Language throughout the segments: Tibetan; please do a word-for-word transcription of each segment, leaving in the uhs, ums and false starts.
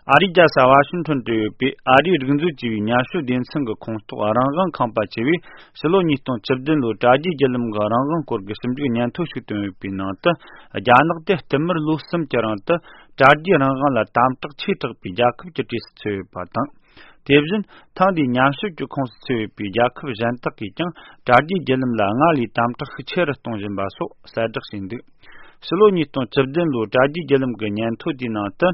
ཨ་རིའི་རྒྱལ་ས་ཝ་ཤིང་ཊོན་དུ་ཡོད་པའི་ཨ་རིའི་རིག་མཛོད་ཅེས་པའི་ཉམས་ཞིབ་སྡེ་ཚན་གྱི་ཁོངས་གཏོགས་རང་དབང་ཁང་པ་ཆེ་བས་ཕྱི་ལོ་ཉིས་སྟོང་བཅུ་བདུན་ལོའི་དྲ་རྒྱའི་བརྒྱུད་ལམ་གྱི་རང་དབང་སྐོར་གྱི་ཞིབ་འཇུག་སྙན་ཐོ་ཞིག་བཏོན་ཡོད་པའི་ནང་དུ། རྒྱ་ནག་དེ་བསྟུད་མར་ལོ་གསུམ་གྱི་རིང་དུ་དྲ་རྒྱའི་རང་དབང་ལ་དམ་དྲག་ཆེ་དྲགས་པའི་རྒྱལ་ཁབ་ཀྱི་གྲས་སུ་ཚུད་ཡོད་པ་དང་། དེ་བཞིན་ཐེངས་འདིའི་ཉམས་ཞིབ་ཀྱི་ཁོངས་སུ་ཚུད་ཡོད་པའི་རྒྱལ་ཁབ་གཞན་དག་གིས་ཀྱང་དྲ་རྒྱའི་བརྒྱུད་ལམ་ལ་སྔར་ལས་དམ་དྲག་ཤུགས་ཆེ་རུ་གཏོང་བཞིན་པ་སོགས་གསལ་བསྒྲགས་བྱས་འདུག། ཕྱི་ལོ་ཉིས་སྟོང་བཅུ་བདུན་ལོའི་དྲ་རྒྱའི་བརྒྱུད་ལམ་གྱི་སྙན་ཐོ་དེའི་ནང་དུ།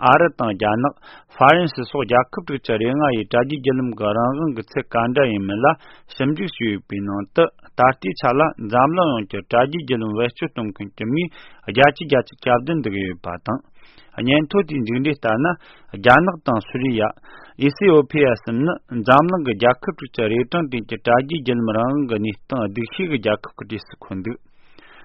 ཨ་རི་དང་རྒྱ་ནག། ཧྥ་རན་སི་སོགས་རྒྱལ་ཁབ་དྲུག་ཅུ་རེ་ལྔ་ཡིས་དྲ་རྒྱའི་བརྒྱུད་ལམ་གྱི་རང་དབང་གི་ཚད་ག་འདྲ་ཡིན་མིན་ལ་ཞིབ་འཇུག་བྱས་ཡོད་པའི་ནང་དུ། ད་ལྟའི་ཆ་ལ་འཛམ་གླིང་ཡོངས་ཀྱི་དྲ་རྒྱའི་བརྒྱུད་ལམ་བེད་སྤྱོད་གཏོང་མཁན་གྱི་མིའི་བརྒྱ་ཆ་བརྒྱད་ཅུ་གྱ་བདུན་འདུ་གི་ཡོད་པ་དང་། སྙན་ཐོ་དེའི་མཇུག་འབྲས་ལྟར་ན། རྒྱ་ནག་དང་སུ་རི་ཡ། ཨི་སི་ཨོ་ཕི་ཡ་གསུམ་ནི་འཛམ་གླིང་གི་རྒྱལ་ཁབ་དྲུག་ཅུ་རེ་གྲངས་སྟེང་གི་དྲ་རྒྱའི་བརྒྱུད་ལམ་རང་དབང་གི་གནས་སྟངས་སྡུག་ཤོས་ཀྱི་རྒྱལ་ཁབ་ཀྱི་གྲས་སུ་འཁོད་འདུག།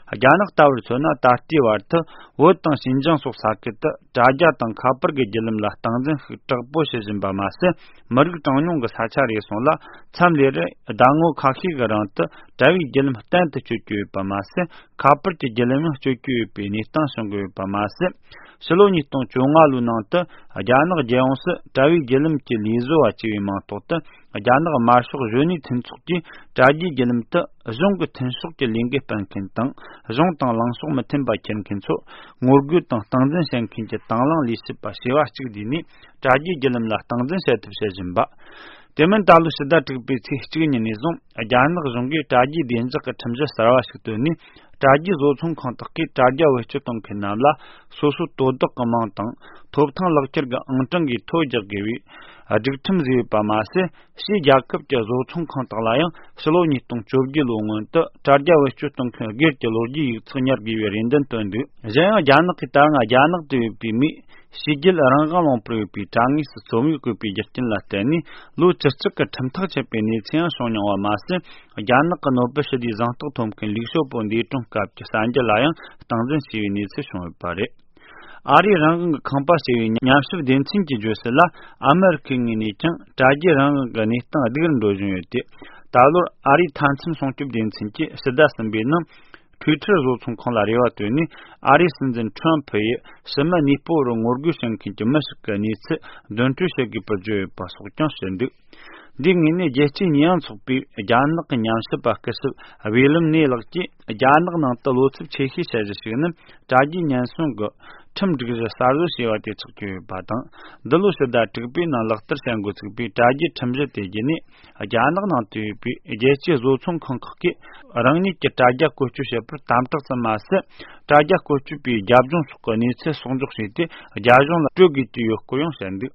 རྒྱ་ནག་ལྟ་བུར་མཚོན་ན། ད་ལྟའི་བར་དུ་བོད་དང་ཞིན་ཅང་སོགས་ས་ཁུལ་དུ་དྲ་རྒྱ་དང་ཁ་པར་གྱི་བརྒྱུད་ལམ་ལ་སྟངས་འཛིན་ཤུགས་དྲག་པོ་བྱེད་བཞིན་པ་མ་ཟད། མི་རིགས་གྲངས་ཉུང་གི་ས་ཆ་རེ་ཟུང་ལ་མཚམས་རེར་ཟླ་ངོ་ཁ་ཤས་ཀྱི་རིང་དུ་དྲ་བའི་བརྒྱུད་ལམ་གཏན་དུ་གཅོད་ཀྱི་ཡོད་པ་མ་ཟད། ཁ་པར་གྱི་བརྒྱུད་ལམ་ཡང་གཅོད་ཀྱི་ཡོད་པའི་གནས་སྟངས་བྱུང་གི་ཡོད་པ་མ་ཟད། ཕྱི་ལོ་ཉིས་སྟོང་བཅོ་ལྔ་ལོའི་ནང་དུ་རྒྱ་ནག་རྒྱལ་ཡོངས་སུ་དྲ་བའི་བརྒྱུད་ལམ་གྱི་ལས་བཟོ་བ་ཅེས་པའི་མིང་ཐོག་ཏུ། རྒྱ་ནག་དམར་ཤོག་གཞོན་ནུའི་མཐུན་ཚོགས་ཀྱིས་དྲ་རྒྱའི་བརྒྱུད་ལམ་དུ་གཞུང་གི་མཐུན་ཕྱོགས་ཀྱི་ལས་འགུལ་སྤེལ་མཁན་དང་། གཞུང་དང་ལངས་ཕྱོགས་མི་མཐུན་པ་འཁྱེར་མཁན་ཚོ་ངོ་རྒོལ་དང་སྟངས་འཛིན་བྱེད་མཁན་གྱི་དང་བླངས་ལས་བྱེད་པ་བྱེ་བ་གཅིག་བསྡུས་ནས་དྲ་རྒྱའི་བརྒྱུད་ལམ་ལ་སྟངས་འཛིན་བྱེད་ཐབས་བྱེད་བཞིན་པ། དེ་མིན་ད་ལོའི་ཕྱི་ཟླ་དྲུག་པའི་ཚེས་གཅིག་ཉིན་ནས་བཟུང་རྒྱ་ནག་གཞུང་གིས་དྲ་རྒྱའི་བདེ་འཇགས་ཀྱི་ཁྲིམས་གཞི་གསར་བ་ཞིག་བཏོན་ནས། དྲ་རྒྱའི་བཟོ་ཚོང་ཁང་དག་གིས་དྲ་རྒྱ་བེད་སྤྱོད་གཏོང་མཁན་རྣམས་ལ་སོ་སོའི་དོ་བདག་གི་མིང་དང་ཐོབ་ཐང་ལག་ཁྱེར་གྱི་ཨང་གྲངས་ཀྱི་ཐོ་རྒྱག་དགོས་པའི་སྒྲིག་ཁྲིམས་བཟོས་ཡོད་པ་མ་ཟད། ཕྱིའི་རྒྱལ་ཁབ་ཀྱི་བཟོ་ཚོང་ཁང་དག་ལ་ཡང་ཕྱི་ལོ་ཉིས་སྟོང་བཅོ་བརྒྱད་ལོའི་སྔོན་དུ་དྲ་རྒྱ་བེད་སྤྱོད་གཏོང་མཁན་སྒེར་གྱི་ལོ་རྒྱུས་ཡིག་ཚགས་ཉར་དགོས་པའི་རེ་འདུན་བཏོན་འདུག། གཞན་ཡང་རྒྱ་ནག་གིས་ད་སྔ་རྒྱ་ནག་ཏུ་ཡོད་པའི་མིས་ཕྱི་རྒྱལ་རང་དབང་ལུང་པར་ཡོད་པའི་དྲ་ངོས་སུ་རྩོམ་ཡིག་བཀོད་པའི་རྒྱུ་རྐྱེན་ལ་བརྟེན་ནས་ལོ་བཅུ་གཅིག་གི་ཁྲིམས་ཐག་བཅད་པའི་གནས་ཚུལ་ཡང་བྱུང་མྱོང་བ་མ་ཟད། རྒྱ་ནག་གི་ནོ་བེལ་ཞི་བདེའི་གཟེངས་རྟགས་ཐོབ་མཁན་ལིའུ་ཞའོ་པོ་འདས་གྲོངས་སྐབས་ཀྱི་གསར་འགྱུར་ལ་ཡང་སྟངས་འཛིན་བྱས་པའི་གནས་ཚུལ་བྱུང་ཡོད་པ་རེད། ཨ་རིའི་རང་དབང་གི་ཁང་པ་ཞེས་པའི་ཉམས་ཞིབ་སྡེ་ཚན་གྱིས་བརྗོད་གསལ་ལ། ཨ་མེ་རི་ཁའི་ངོས་ནས་ཀྱང་དྲ་རྒྱའི་རང་དབང་གི་གནས་སྟངས་སྡུག་རུ་འགྲོ་བཞིན་ཡོད་དེ། ད་ལོར་ཨ་རིའི་མཐའ་མཚམས་སྲུང་སྐྱོབ་སྡེ་ཚན་གྱིས་ཕྱི་ཟླ་གསུམ་པའི་ནང་། Twitter་བཟོ་ཚོང་ཁང་ལ་རེ་བ་བཏོན་ནས། ཨ་རིའི་སྲིད་འཛིན་ཁྲོམ་ཕུ་ཡིས་ཕྱི་མི་གནས་སྤོ་བར་ངོ་རྒོལ་བྱེད་མཁན་གྱི་མི་ཞིག་གི་གནས་ཚུལ་འདོན་སྤྲོད་བྱེད་དགོས་པར་བརྗོད་ཡོད་པ་སོགས་ཀྱང་བཤད་འདུག། འདིའི་ངོས་ནས་རྒྱལ་སྤྱིའི་ཉེས་ཡངས་ཚོགས་པའི་རྒྱ་ནག་གི་ཉམས་ཞིབ་པ་སྐུ་ཞབས་བྷེ་ལམ་ནེ་ལགས་ཀྱིས། རྒྱ་ནག་ནང་དུ་བློ་འཚབ་ཆེ་ཤོས་བྱ་གཞི་ཞིག་ནི། དྲ་རྒྱའི་ཉེན་སྲུང་གི་ཁྲིམས་སྒྲིག་གཞི་གསར་བཟོ་བྱས་པ་དེ་ཆགས་ཀྱི་ཡོད་པ་དང་། འདི་ལོ་ཕྱི་ཟླ་དྲུག་པའི་ནང་ལག་བསྟར་བྱ་འགོ་ཚུགས་པའི་དྲ་རྒྱའི་ཁྲིམས་གཞི་དེ་བརྒྱུད་ནས། རྒྱ་ནག་ནང་དུ་ཡོད་པའི་རྒྱལ་སྤྱིའི་བཟོ་ཚོང་ཁང་ཁག་གིས་རང་ཉིད་ཀྱི་དྲ་རྒྱ་བཀོལ་སྤྱོད་བྱེད་པར་དམ་དྲག་ཙམ་མ་ཟད། དྲ་རྒྱ་བཀོལ་སྤྱོད་པའི་རྒྱབ་ལྗོངས་སོགས་ཀྱི་གནས་ཚུལ་གསོག་འཇོག་བྱས་ཏེ། རྒྱ་གཞུང་ལ་སྤྲོད་དགོས་ཀྱི་ཡོད་སྐོར་ཡང་བཤད་འདུག།